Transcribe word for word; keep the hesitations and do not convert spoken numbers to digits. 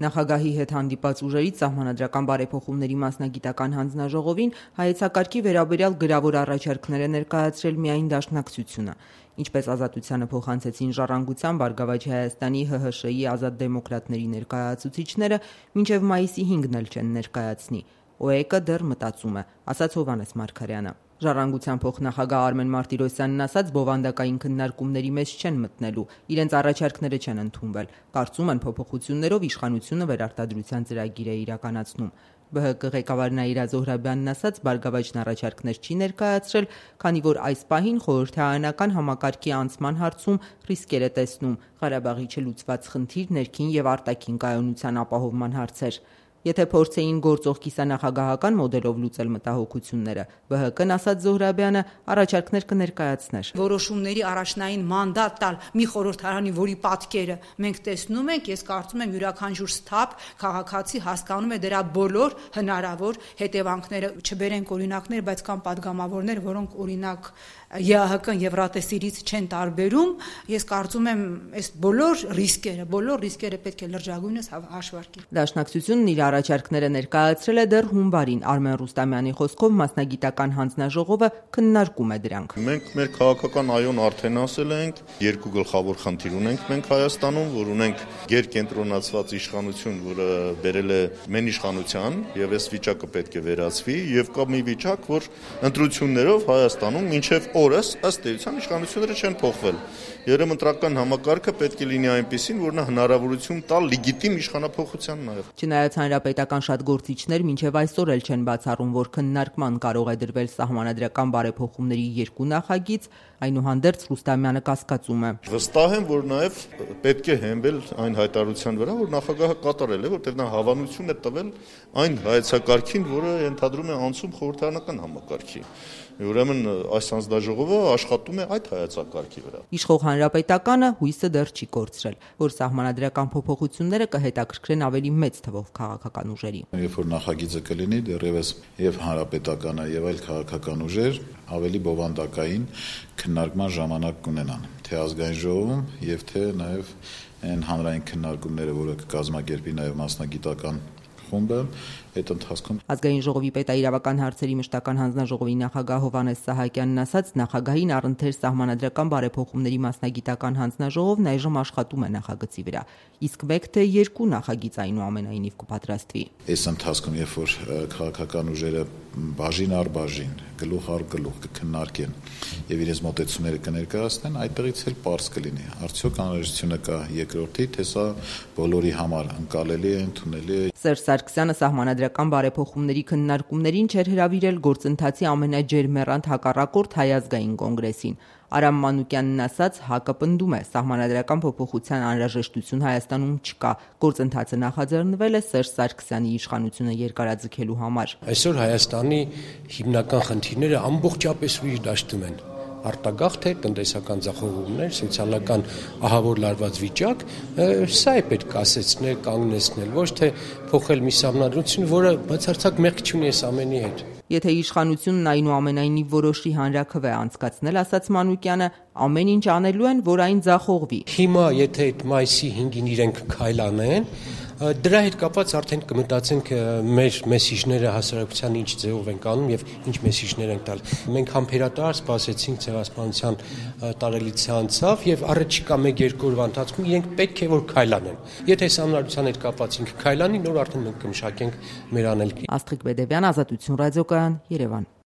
Նախագահի հետ հանդիպած ուժերից Սահմանադրական բարեփոխումների մասնագիտական հանձնաժողովին հայեցակարգի վերաբերյալ գրավոր առաջարկներ է ներկայացրել միայն Դաշնակցությունը, ինչպես Ազատությանը փոխանցեցին Ժառանգության, Բարգավաճ Հայաստանի, ՀՀՇ-ի, Ազատ դեմոկրատների ներկայացուցիչները, մինչև մայիսի հինգն էլ չեն ներկայացնի։ ՕԵԿ-ը դեռ մտածում է, ասաց Հովհաննես Մարգարյանը։ Ժառանգության փոխնախագահ Արմեն Մարտիրոսյանն ասաց, բովանդակային քննարկումների մեջ չեն մտնելու, իրենց առաջարկները չեն ընդունվել, կարծում են փոփոխություններով իշխանությունը վերարտադրության ծրագիր է իրականացնում։ ԲՀԿ ղեկավար Նաիրա Զոհրաբյանն ասաց, Բարգավաճն առաջարկներ չի ներկայացրել, քանի որ այս պահին խորհրդարանական համակարգի անցման հարցում ռիսկեր է տեսնում, Ղարաբաղի չլուծված խնդիր, ներքին եւ արտաքին կայունության ապահովման հարցեր։ Եթե փորձեին գործող կիսանախագահական մոդելով լուծել մտահոգությունները, ԲՀԿ-ն, ասաց Զոհրաբյանը, առաջարկներ կներկայացներ։ Որոշումների առաջնային մանդատ տալ մի խորհրդարանի, որի պատկերը մենք տեսնում ենք, ես կարծում եմ յուրաքանչյուր սթափ քաղաքացի հասկանում է դրա բոլոր հնարավոր հետևանքները, չբերենք օրինակներ, բայց կան падգամավորներ, որոնք օրինակ ԵԱՀԿ-ն Եվրատեսիլից չեն տարբերում, ես կարծում եմ, այս բոլոր ռիսկերը, բոլոր ռիսկերը պետք է լրջագույնս հաշվարկել։ Դաշնակցությունն իր առաջարկները ներկայացրել է դեռ հունվարին, Արմեն Ռուստամյանի խոսքով մասնագիտական հանձնաժողովը քննարկում է դրանք։ Մենք մեր քաղաքական այոն արդեն ասել ենք, երկու գլխավոր խնդիր ունենք մենք Հայաստանում, որ ունենք գերկենտրոնացված իշխանություն, որը բերել է մեն իշխանության, եւ այս վիճակը պետք է վերացվի, եւ կա մի վիճակ, որ ընտրություններով Հայաստանում մինչեւ օրս ըստ էության իշխանությունները չեն փոխվել։ Երեմընտրական համակարգը պետք է լինի այնպիսին, որ նա հնարավորություն տա լեգիտիմ իշխանափոխության նաև։ Չնայած հանրապետական շատ գործիչներ մինչև այսօր էլ չեն բացառում, որ քննարկման կարող է դրվել Սահմանադրական բարեփոխումների երկու նախագիծ, այնուհանդերձ Ռուստամյանը կասկածում է։ Վստահ եմ, որ նաև պետք է հենվել այն հայտարարության վրա, որ նախագահը կատարել է, որտեղ նա հավանություն է տվել այն հայեցակարգին, որը ենթադրում է անցում խորհրդարանական համակարգի։ Ուրեմն այս հանձնաժողովը աշխատում է այդ հայեցակարգի վրա։ Իշխող հանրապետականը հույսը դեռ չի կորցրել, որ սահմանադրական փոփոխությունները կհետաքրքրեն ավելի մեծ թվով քաղաքական ուժերի։ Երբ որ նախագիծը կլինի, դեռևս եւ հանրապետականը եւ այլ քաղաքական ուժեր ավելի բովանդակային քննարկման ժամանակ կունենան, թե ազգային ժողովում եւ թե նաեւ այն հանրային քննարկումները, որը կկազմակերպի նաեւ մասնագիտական խումբը, այդ ընթացքում Ազգային ժողովի պետաիրավական հարցերի մշտական հանձնաժողովի նախագահ Հովհաննես Սահակյանն ասաց, նախագահին առընթեր Սահմանադրական բարեփոխումների մասնագիտական հանձնաժողովն այժմ աշխատում է նախագծի վրա, իսկ մեկ թե երկու նախագիծ այնուամենայնիվ կպատրաստվի։ Այս ընթացքում, երբ որ քաղաքական ուժերը բաժին առ բաժին, գլուխ առ գլուխ կքննարկեն եւ իրենց մոտեցումները կներկայացնեն, այդտեղից էլ պարզ կլինի, արդյոք անհրաժեշտությունը կա երկրորդի, թե սա բոլորի համար ընկալելի է, ընդունելի է։ Սերժ Սարգսյանը Սահմանադրական բարեփոխումների քննարկումներին չէր հրավիրել գործընթացի ամենաջերմեռանդ հակառակորդ Հայ ազգային կոնգրեսին։ Արամ Մանուկյանն ասաց, ՀԱԿ-ը պնդում է, Սահմանադրական փոփոխության անհրաժեշտություն Հայաստանում չկա, գործընթացը նախաձեռնվել է Սերժ Սարգսյանի իշխանությունը երկարաձգելու համար։ Այսօր Հայաստանի հիմնական խնդիրները ամբողջապես ուրիշ դաշտում են։ Արտագաղթ է, տնտեսական ձախողումներ, սոցիալական ահավոր լարված վիճակ, սա է պետք ասեցնել, կանգնեցնել, ոչ թե փոխել մի սահմանադրություն, որը բացարձակ մեղք չունի այս ամենի հետ։ Եթե իշխանությունն այնուամենայնիվ որոշի հանրաքվե անցկացնել, ասաց Մանուկյանը, ամեն ինչ անելու են, որ այն ձախողվի։ Հիմա եթե այդ մայիսի հինգին իրենք քայլանեն, դրա հետ կապված արդեն կմտածենք մեր մեսիջները հասարակության ինչ ձևով են անում եւ ինչ մեսիջներ են տալ։ Մենք համբերատար սպասեցինք ցեղասպանության տարելիցը անցավ եւ առաջիկա մեկ երկու օրվա ընթացքում իրենք պետք է որ քայլանեն։ Եթե սահմանադրության հետ կապված ինքը քայլանի, նոր արդեն մենք կմշակենք մեր անելքի։ Աստղիկ Բեդևյան, Ազատություն ռադիոկայան, Երևան։